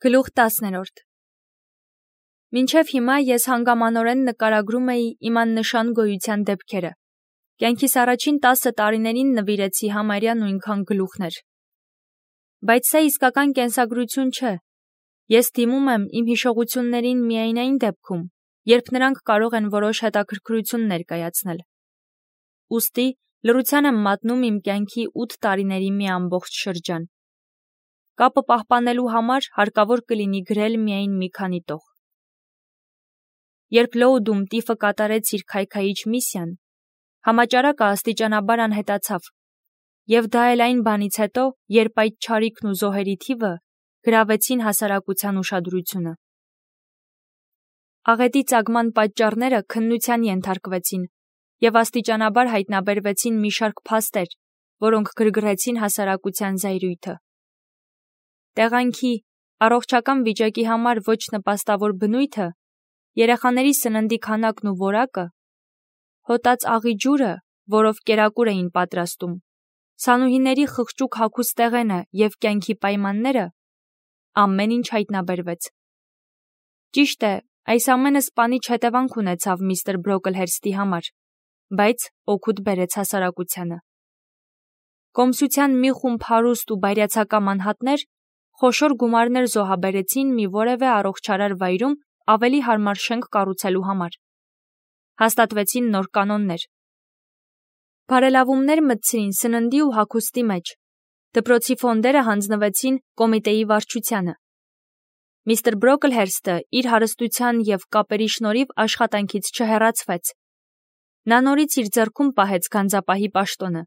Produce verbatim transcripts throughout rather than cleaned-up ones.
Գլուխ տասներորդ Մինչև հիմա ես հանգամանորեն նկարագրում էի իմ աննշան գոյության դեպքերը. կյանքիս առաջին տասը տարիներին նվիրեցի համարյա նույնքան գլուխներ։ Բայց սա իսկական կենսագրություն չէ։ Ես դիմում եմ իմ հիշողություններին միայն այն դեպքում, երբ նրանք կարող են որոշ հետաքրքրություն ներկայացնել։ Ուստի լռության եմ մատնում իմ կյանքի ութ տարիների մի ամբողջ շրջան։ Կապը պահպանելու համար հարկավոր կլինի գրել միայն մի քանի տող։ Երբ Լոուդում տիֆը կատարեց իր քայքայիչ միսիան, համաճարակը աստիճանաբար անհետացավ, և դա էլ այն բանից հետո, երբ այդ չարիքն ու զոհերի թիվը գրավեցին հասարակության ուշադրությունը։ Աղետի ծագման պատճառները քննության ենթարկվեցին, և աստիճանաբար հայտնաբերվեցին մի շարք փաստեր, որոնք գրգռեցին հասարակության զայրույթը։ Տեղանքի, առողջական վիճակի համար ոչ նպաստավոր բնույթը, երեխաների սննդի քանակն ու որակը, հոտած աղի ջուրը, որով կերակուր էին պատրաստում, սանուհիների խղճուկ հագուստեղենը և կյանքի պայմանները, ամեն ինչ հայտնաբերվեց։ Ճիշտ է, այս ամենը սպանիչ հետևանք ունեցավ միստր Բրոկլհերստի համար, բայց օգուտ բերեց հասարակությանը։ Կոմսության մի խումբ հարուստ ու բայրացակամ անհատներ խոշոր գումարներ զոհաբերեցին մի որևէ առողջարար վայրում ավելի հարմար շենք կառուցելու համար։ Հաստատվեցին նոր կանոններ։ Բարելավումներ մտցրին սննդի ու հագուստի մեջ։ Դպրոցի ֆոնդերը հանձնվեցին կոմիտեի վարչությանը։ Միստր Բրոկլհերստը իր հարստության և կապերի շնորհիվ աշխատանքից չհեռացվեց։ Նա նորից իր ձեռքում պահեց գանձապահի պաշտոնը,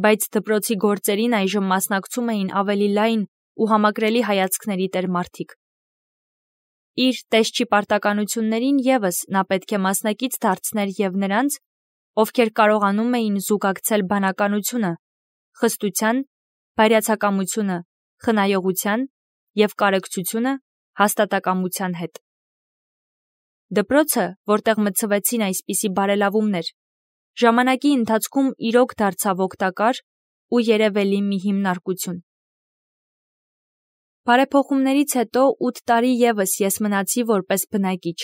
բայց դպրոցի գործերին այժմ մասնակցում էին ավելի լայն ու համակրելի հայացքների տեր մարդիկ։ Իր տեսչի պարտականություններին ևս նա պետք է մասնակից դարձներ և նրանց, ովքեր կարողանում էին զուգակցել բանականությունը, խստության, բայրացակամությունը, խնայողության և կարեկցությունը հաստատակամության հետ։ Դպրոցը, որտեղ մտցվեցին այսպիսի բարելավումներ, ժամանակի ընթացքում իրոք դարձավ օգտակար ու երևելի մի հիմնարկություն։ Բարեփոխումներից հետո ութ տարի ևս ես մնացի որպես բնակիչ,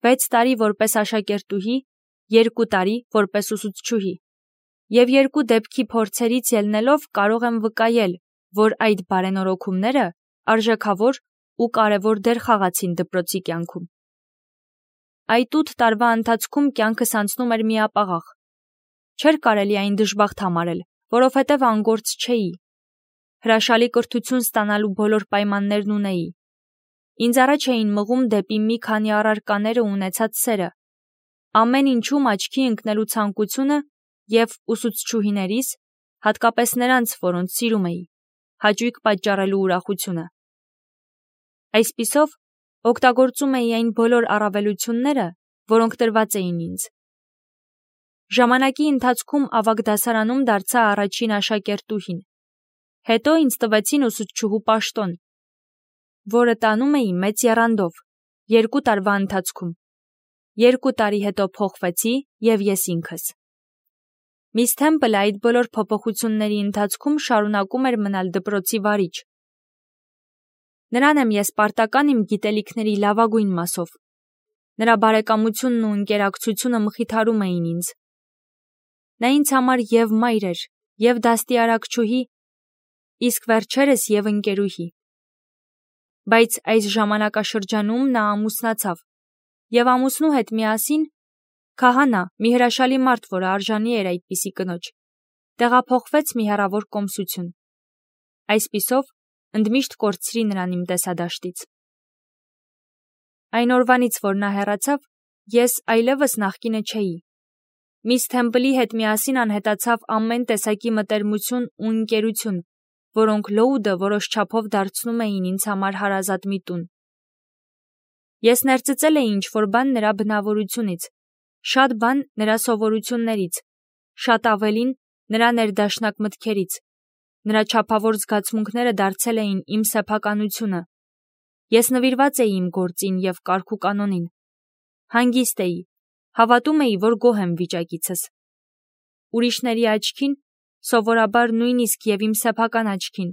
վեց տարի որպես աշակերտուհի, երկու տարի որպես ուսուցչուհի, և երկու դեպքի փորձերից ելնելով կարող եմ վկայել, որ այդ բարենորոգումները արժեքավոր ու կարևոր դեր խաղացին դպրոցի կյանքում։ Այդ ութ տարվա ընթացքում կյանքս անցնում էր միապաղաղ։ Չէր կարելի այն դժբախտ համարել, որովհետև անգործ չէի։ Հրաշալի կրթություն ստանալու բոլոր պայմաններն ունեի։ Ինձ առաջ էին մղում դեպի մի քանի առարկաները ունեցած սերը, ամեն ինչում աչքի ընկնելու ցանկությունը և ուսուցչուհիներիս, հատկապես նրանց, որոնց սիրում էի, հաճույք պատճառելու ուրախությունը։ Այսպիսով, օգտագործում էի այն բոլոր առավելությունները, որոնք տրված էին ինձ։ Ժամանակի ընթացքում ավագ դասարանում դարձա առաջին աշակերտուհին։ Հետո ինձ տվեցին ուսուցչուհու պաշտոն, որը տանում էի մեծ եռանդով, երկու տարվա ընթացքում։ Երկու տարի հետո փոխվեցի և ես ինքս։ Միս Թեմպլը այդ բոլոր փոփոխությունների ընթացքում շարունակում էր մնալ դպրոցի վարիչ։ Նրան եմ ես պարտական իմ գիտելիքների լավագույն մասով։ Նրա բարեկամությունն ու ընկերակցությունը մխիթարում էին ինձ։ Նա ինձ համար և մայր էր, և դաստիարակչուհի, իսկ վերջերս և ընկերուհի։ Բայց այս ժամանակաշրջանում նա ամուսնացավ, և ամուսնու հետ միասին քահանա, մի հրաշալի մարդ, որը արժանի էր այդպիսի կնոջ, տեղափոխվեց մի հեռավոր կոմսություն։ Այսպիսով, ընդմիշտ կորցրի նրան իմ տեսադաշտից։ Այն օրվանից, որ նա հեռացավ, ես այլևս նախկինը չէի։ Միս Թեմպլի հետ միասին անհետացավ ամեն տեսակի մտերմություն ու ընկերություն, որոնք Լոուդը որոշ չափով դարձնում էին ինձ համար հարազատ մի տուն։ Ես ներծծել էի ինչ-որ բան նրա բնավորությունից, շատ բան նրա սովորություններից, շատ ավելին նրա ներդաշնակ մտքերից։ Նրա չափավոր զգացմունքները դարձել էին իմ սեփականությունը։ Ես նվիրված էի իմ գործին և կարգուկանոնին։ Հանգիստ էի, հավատում էի, որ գոհ եմ վիճակիցս։ Ուրիշների աչքին, սովորաբար նույնիսկ և իմ սեփական աչքին,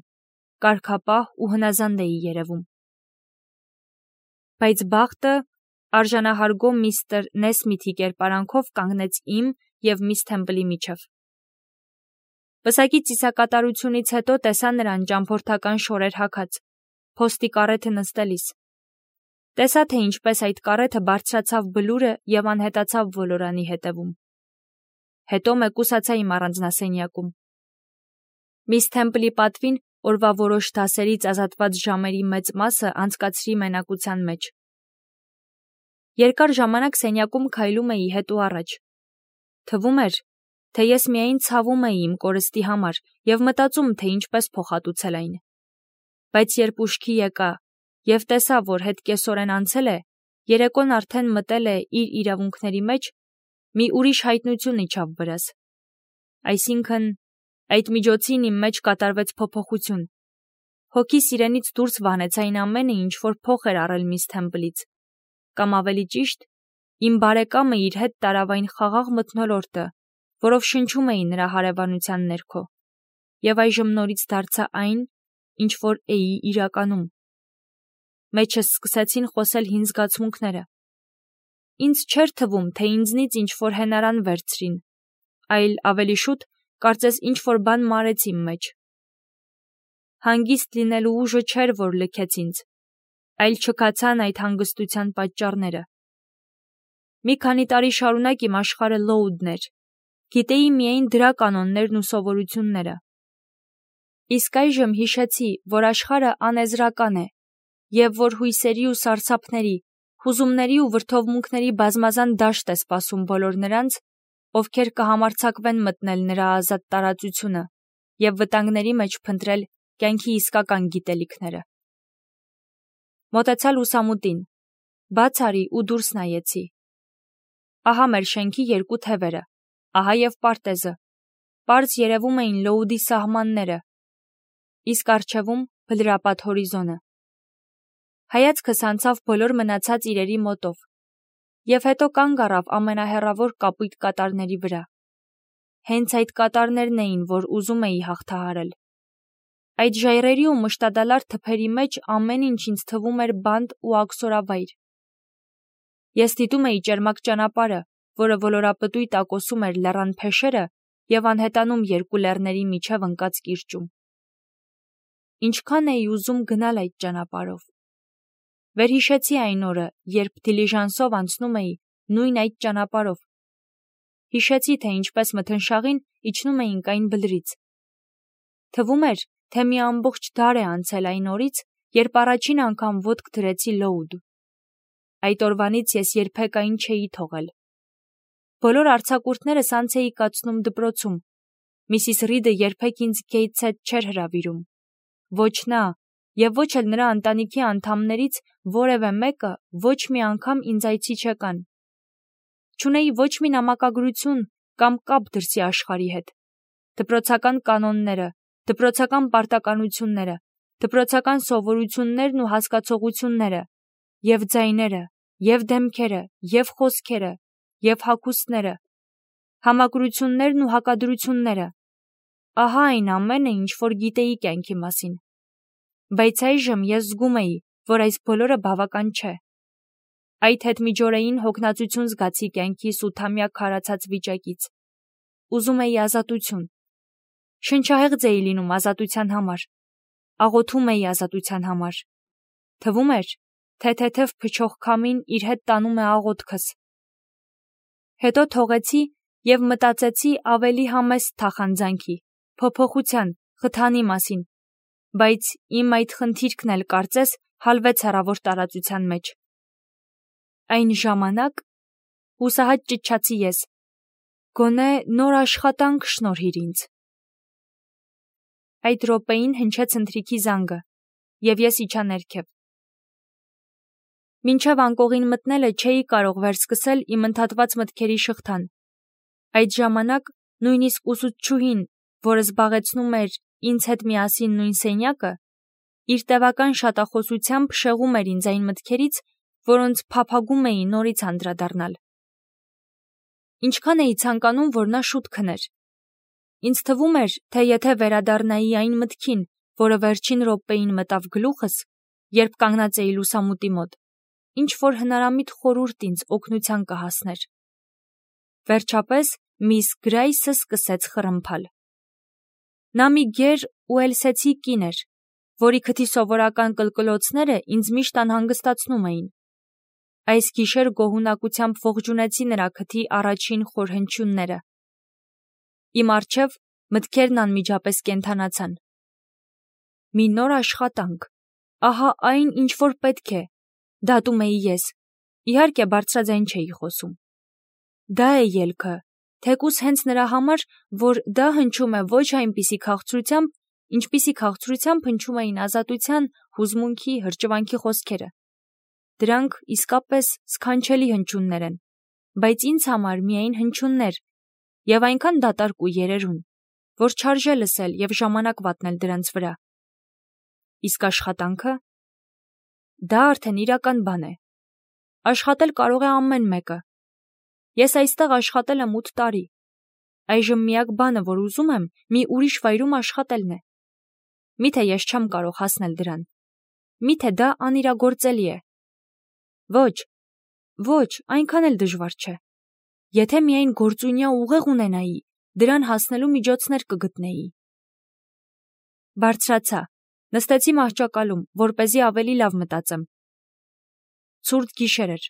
կարգապահ ու հնազանդ էի երևում։ Բայց բախտը արժանահարգո միստր Նեսմիթի կերպարանքով կանգնեց իմ և միս Թեմպլի միջև։ Պսակի ծիսակատարությունից հետո տեսա նրան ճամփորդական շորեր հագած, փոստի կառեթը նստելիս։ Տեսա, թե ինչպես այդ կառեթը բարձրացավ բլուրը և անհետացավ ոլորանի հետևում։ Հետո մեկուսացա իմ առանձնասենյակում։ Միս Թեմպլի պատվին օրվա որոշ դասերից ազատված ժամերի մեծ մասը անցկացրի մենակության մեջ։ Երկար ժամանակ սենյակում քայլում էի հետ ու առաջ։ Թվում էր, թե ես միայն ցավում էի իմ կորստի համար և մտածում, թե ինչպես փոխհատուցել այն։ Բայց երբ ուշքի եկա և տեսա, որ հետ կեսօրեն անցել է, երեկոն արդեն մտել է իր իրավունքների մեջ, մի ուրիշ հայտնություն իջավ վրաս։ Այսինքն, այդ միջոցին իմ մեջ կատարվեց փոփոխություն։ Հոգիս իրենից դուրս վանեց այն ամենը, ինչ որ փոխ էր առել միս Թեմպլից, կամ ավելի ճիշտ, իմ բարեկամը իր հետ տարավ այն խաղաղ մթնոլորտը, որով շնչում էի նրա հարևանության ներքո, և այժմ նորից դարձա այն, ինչ որ էի իրականում։ Մեջս սկսեցին խոսել հին զգացմունքները։ Ինձ չէր թվում, թե ինձնից ինչ որ հենարան վերցրին, այլ ավելի շուտ, կարծես ինչ որ բան մարեց իմ մեջ։ Հանգիստ լինելու ուժը չէր, որ լքեց ինձ, այլ չքացան այդ հանգստության պատճառները։ Մի քանի տարի շարունակ իմ աշխարհը լոուդն էր, գիտեի միայն դրա կանոններն ու սովորությունները։ Իսկ այժմ հիշեցի, որ աշխարհը անեզրական է, և որ հույսերի ու սարսափների, հուզումների ու վրդովմունքների բազմազան դաշտ է սպասում բոլոր նրանց, ովքեր կհամարձակվեն մտնել նրա ազատ տարածությունը և վտանգների մեջ փնտրել կյանքի իսկական գիտելիքները։ Մոտեցա լուսամուտին, բաց արի ու դուրս նայեցի։ Ահա մեր շենքի երկու թևերը, ահա և պարտեզը, պարզ երևում էին լոուդի սահմանները, իսկ առջևում բլրապատ հորիզոնը։ Հայացքս անցավ բոլոր մնացած իրերի մոտով, և հետո կանգ առավ ամենահեռավոր կապույտ կատարների վրա։ Հենց այդ կատարներն էին, որ ուզում էի հաղթահարել։ Այդ ժայռերի ու մշտադալար թփերի մեջ ամեն ինչ ինձ թվում էր բանտ ու աքսորավայր։ Ես դիտում էի ճերմակ ճանապարհը, որը ոլորապտույտ տակոսում էր լեռան փեշերը և անհետանում երկու լեռների միջև ընկած կիրճում։ Ինչքան էի ուզում գնալ այդ ճանապարհով։ Վերհիշեցի այն օրը, երբ դիլիժանսով անցնում էի նույն այդ ճանապարհով։ Հիշեցի, թե ինչպես մթնշաղին իջնում էինք այն բլրից։ Թվում էր, թե մի ամբողջ դար է անցել այն օրից, երբ առաջին անգամ ոտք դրեցի լոուդ։ Այդ օրվանից ես երբեք այն չէի թողել։ Բոլոր արձակուրդներս անց էի կացնում դպրոցում։ Միսիս Ռիդը երբեք ինձ Գեյթս հետ չէր հրավիրում։ Ոչ նա, և ոչ էլ նրա ընտանիքի անդամներից որևէ մեկը ոչ մի անգամ ինձ այցի չեկան։ Չունեի ոչ մի նամակագրություն կամ կապ դրսի աշխարհի հետ։ Դպրոցական կանոնները, դպրոցական պարտականությունները, դպրոցական սովորություններն ու հասկացողությունները, և ձայները, և դեմքերը, և խոսքերը, և հագուստները, համակրություններն ու հակադրությունները, ահա այն ամենը, ինչ որ գիտեի կյանքի մասին։ Բայց այժմ ես զգում էի, որ այս բոլորը բավական չէ։ Այդ հետմիջօրեին հոգնածություն զգացի կյանքիս ութամյա քարացած վիճակից։ Ուզում էի ազատություն։ Շնչահեղձ էի լինում ազատության համար, աղոթում էի ազատության համար։ Թվում էր, թե թեթև փչող քամին իր հետ տանում է աղոթքս։ Հետո թողեցի և մտածեցի ավելի համեստ թախանձանքի, փոփոխության, խթանի մասին, բայց իմ այդ խնդիրքն էլ կարծես հալվեց հեռավոր տարածության մեջ։ Այն ժամանակ հուսահատ ճչացի ես. գոնե նոր աշխատանք շնորհիր ինձ։ Այդ րոպեին հնչեց ընթրիքի զանգը, և ես իջա ներքև։ Մինչև անկողին մտնելը չէի կարող վերսկսել իմ ընդհատված մտքերի շղթան։ Այդ ժամանակ նույնիսկ ուսուցչուհին, որը զբաղեցնում էր ինձ հետ միասին նույն սենյակը, իր տևական շատախոսությամբ շեղում էր ինձ այն մտքերից, որոնց փափագում էի նորից անդրադառնալ։ Ինչքան էի ցանկանում, որ նա շուտ քներ։ Ինձ թվում էր, թե եթե վերադառնայի այն մտքին, որը վերջին րոպեին մտավ գլուխս, երբ կանգնած էի լուսամուտի մոտ, ինչ որ հնարամիտ խորհուրդ ինձ օգնության կհասներ։ Վերջապես միս Գրայսը սկսեց խռմփալ։ Նա մի գեր ուելսեցի կին էր, որի քթի սովորական կլկլոցները ինձ միշտ անհանգստացնում էին։ Այս գիշեր գոհունակությամբ ողջունեցի նրա քթի առաջին խոր հնչյունները։ Իմ առջև մտքերն անմիջապես կենդանացան։ Մի նոր աշխատանք, ահա այն, ինչ որ պետք է, դատում էի ես, իհարկե բարձրաձայն չէի խոսում։ Դա է ելքը, թեկուզ հենց նրա համար, որ դա հնչում է ոչ այնպիսի քաղցրությամբ, ինչպիսի քաղցրությամբ հնչում էին ազատության, հուզմունքի, հրճվանքի խոսքերը։ Դրանք իսկապես սքանչելի հնչյուններ են, բայց ինձ համար միայն հնչյուններ, եւ այնքան դատարկ ու երերուն, որ չարժե լսել եւ ժամանակ վատնել դրանց վրա։ Իսկ աշխատանքը։ Դա արդեն իրական բան է։ Աշխատել կարող է ամեն մեկը։ Ես այստեղ աշխատել եմ ութ տարի։ Այժմ միակ բանը, որ ուզում եմ, մի ուրիշ վայրում աշխատելն է։ Միթե ես չեմ կարող հասնել դրան։ Միթե դա անիրագործելի է։ Ոչ, ոչ, այնքան էլ դժվար չէ։ Եթե միայն գործունյա ուղեղ ունենայի, դրան հասնելու միջոցներ կգտնեի։ Բարձրացա, նստեցի մահճակալում, որպեսզի ավելի լավ մտածեմ։ Ցուրտ գիշեր էր։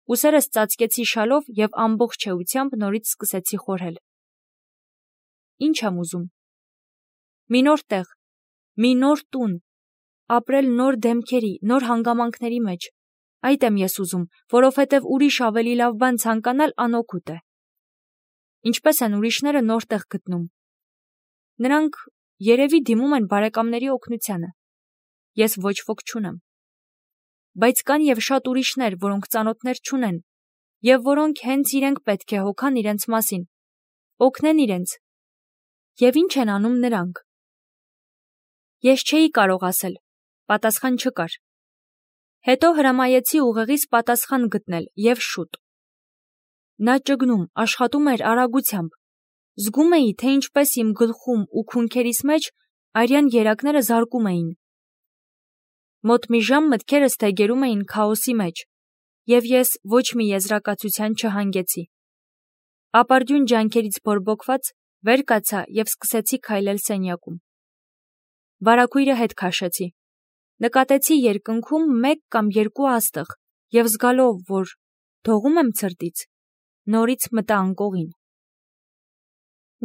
Ուսերս ծածկեցի շալով եւ ամբողջ էությամբ նորից սկսեցի խորհել։ Ինչ եմ ուզում։ Մի նոր տեղ, մի նոր տուն, ապրել նոր դեմքերի, նոր հանգամանքների մեջ։ Այդ եմ ես ուզում, որովհետև ուրիշ ավելի լավ բան ցանկանալ անօգուտ է։ Ինչպես են ուրիշները նոր տեղ գտնում։ Նրանք երևի դիմում են բարեկամների օգնությանը։ Ես ոչ ոք չունեմ։ Բայց կան եւ շատ ուրիշներ, որոնք ծանոթներ չունեն, եւ որոնք հենց իրենք պետք է հոգան իրենց մասին, օգնեն իրենց։ Եվ ինչ են անում նրանք։ Ես չէի կարող ասել, պատասխան չկար։ Հետո հրամայեցի ուղեղից պատասխան գտնել եւ շուտ։ Նա ճգնում, աշխատում էր արագությամբ։ Զգում էի, թե ինչպես իմ գլխում ու քունքերիս մեջ արյան երակները զարկում էին։ Մոտ մի ժամ մտքերս թեգերում էին քաոսի մեջ, եւ ես ոչ մի եզրակացության չհանգեցի։ Ապարդյուն ջանքերից բորբոքված վեր կացա եւ սկսեցի քայլել սենյակում։ Վարագույրը հետ քաշեցի։ Նկատեցի երկնքում մեկ կամ երկու աստղ եւ զգալով, որ դողում եմ ցրտից, նորից մտա անկողին։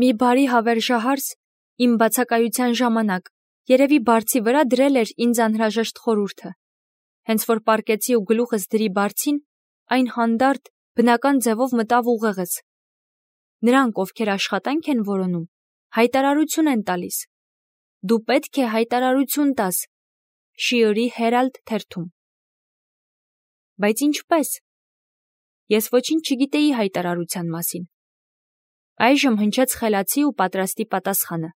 Մի բարի հավերժահարս իմ բացակայության ժամանակ երևի բարձի վրա դրել էր ինձ անհրաժեշտ խորհուրդը։ Հենց որ պառկեցի ու գլուխս դրի բարձին, այն հանդարտ բնական ձևով մտավ ուղեղս։ Նրանք, ովքեր աշխատանք են որոնում, հայտարարություն են տալիս։ Դու պետք է հայտարարություն տաս Շիորի Հերալդ թերթում։ Բայց ինչպես։ Ես ոչինչ չգիտեի հայտարարության մասին։ Այժմ հնչեց խելացի ու պատրաստի պատասխանը։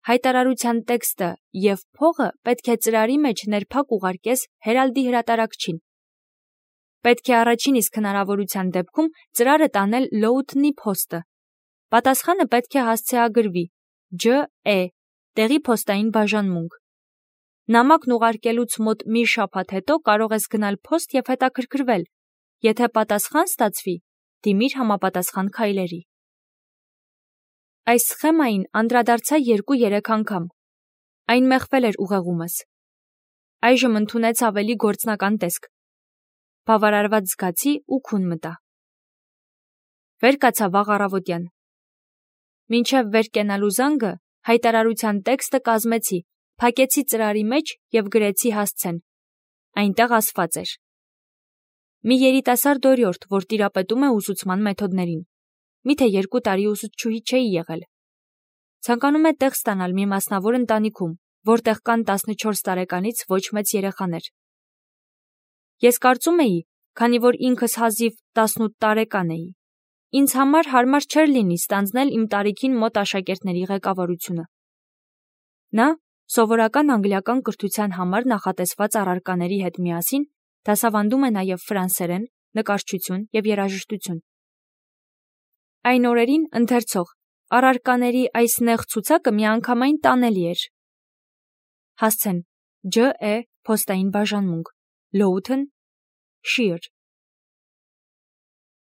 Հայտարարության տեքստը եւ փողը պետք է ծրարի մեջ ներփակ ուղարկես Հերալդի հրատարակչին։ Պետք է առաջին իսկ հնարավորության դեպքում ծրարը տանել Լոութնի փոստը։ Պատասխանը պետք է հասցեագրվի Ջ E տեղի փոստային բաժանմունք։ Նամակն ուղարկելուց մոտ մի շաբաթ հետո կարող ես գնալ փոստ եւ հետաքրքրվել։ Եթե պատասխան ստացվի, դիմիր համապատասխան քայլերի։ Այս սխեմային անդրադարձա երկու-երեք անգամ։ Այն մեղվել էր ուղեղումս։ Այժմ ընդունեց ավելի գործնական տեսք։ Բավարարված զգացի ու քուն մտա։ Վեր կացա վաղ առավոտյան։ Մինչև վեր կենալու զանգը հայտարարության տեքստը կազմեցի, փակեցի ծրարի մեջ եւ գրեցի հասցեն։ Այնտեղ ասված էր. Մի երիտասարդ օրիորդ, որ տիրապետում է ուսուցման մեթոդներին։ Միթե երկու տարի ուսուցչուհի չէի եղել։ Ցանկանում է տեղ ստանալ մի մասնավոր ընտանիքում, որտեղ կան տասնչորս տարեկանից ոչ մեծ երեխաներ։ Ես կարծում էի, քանի որ ինքս հազիվ տասնութ տարեկան էի, ինձ համար հարմար չէր լինի ստանձնել իմ տարիքին մոտ աշակերտների ղեկավարությունը։ Նա սովորական անգլիական կրթության համար նախատեսված առարկաների հետ միասին դասավանդում է նաև ֆրանսերեն, նկարչություն եւ երաժշտություն։ Այն օրերին ընթերցող առարկաների այս նեղ ցուցակը միանգամայն տանելի էր։ Հասցեն Ջ E փոստային բաժանմունք, Լոութն, shear։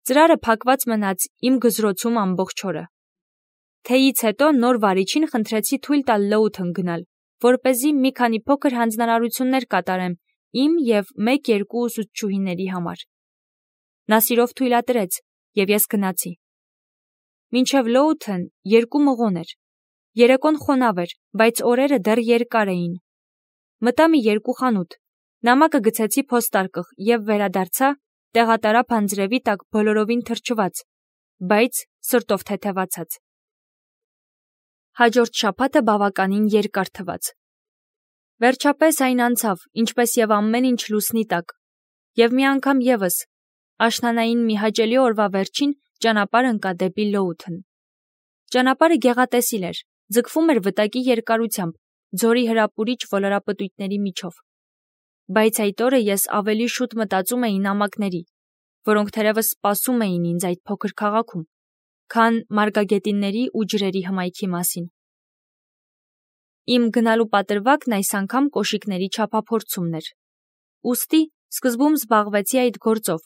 Ծրարը փակված մնաց իմ գզրոցում ամբողջ օրը։ Թեյից հետո նոր վարիչին խնդրեցի թույլ տալ Լոութն գնալ, որպեսզի մի քանի փոքր հանձնարարություններ կատարեմ իմ և մեկ-երկու ուսուցչուհիների համար։ Նա սիրով թույլատրեց, և ես գնացի։ Մինչև Լոութն երկու մղոն էր։ Երեկոն խոնավ էր, բայց օրերը դեռ երկար էին։ Մտա մի երկու խանութ, նամակը գցեցի փոստարկղ և վերադարձա, տեղատարա անձրևի տակ բոլորովին թրջված, բայց սրտով թեթևացած։ Հաջորդ շաբաթը բավականին երկար թվաց։ Վերջապես այն անցավ, ինչպես և ամեն ինչ լուսնի տակ, և մի անգամ ևս, աշնանային մի հաճելի օրվա վերջին ճանապարհ ընկա դեպի Լոութն։ Ճանապարհը գեղատեսիլ էր, ձգվում էր վտակի երկարությամբ, ձորի հրապուրիչ ոլորապտույտների միջով։ Բայց այդ օրը ես ավելի շուտ մտածում էի նամակների, որոնք թերևս սպասում էին ինձ այդ փոքր քաղաքում, քան մարգագետինների ու ջրերի հմայքի մասին։ Իմ գնալու պատրվակն այս անգամ կոշիկների չափափորձումն էր։ Ուստի սկզբում զբաղվեցի այդ գործով,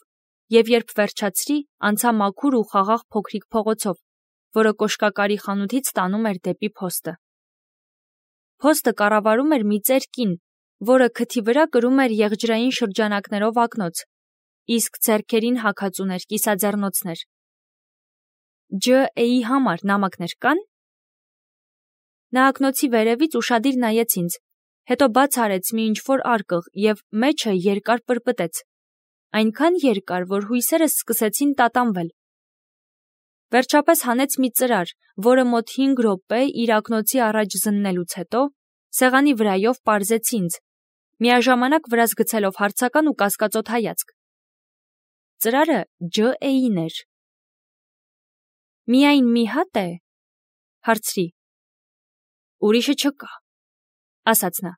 և երբ վերջացրի, անցա մաքուր ու խաղաղ փոքրիկ փողոցով, որը կոշկակարի խանութից տանում էր դեպի փոստը։ Փոստը կառավարում էր մի ծեր կին, որը քթի վրա կրում էր եղջյուրային շրջանակներով ակնոց, իսկ ձեռքերին հագած ուներ կիսաձեռնոցներ։ Ջ Էի համար նամակներ կա՞ն։ Նա ակնոցի վերևից ուշադիր նայեց ինձ, հետո բաց արեց մի ինչ-որ արկղ և մեջը երկար պրպտեց, այնքան երկար, որ հույսերս սկսեցին տատանվել։ Վերջապես հանեց մի ծրար, որը մոտ հինգ րոպե իր ակնոցի առաջ զննելուց հետո սեղանի վրայով պարզեց ինձ, միաժամանակ վրաս գցելով հարցական ու կասկածոտ հայացք։ Ծրարը Ջ Էին էր։ Միայն մի հատ է, հարցրի։ Ուրիշը չկա, ասաց նա։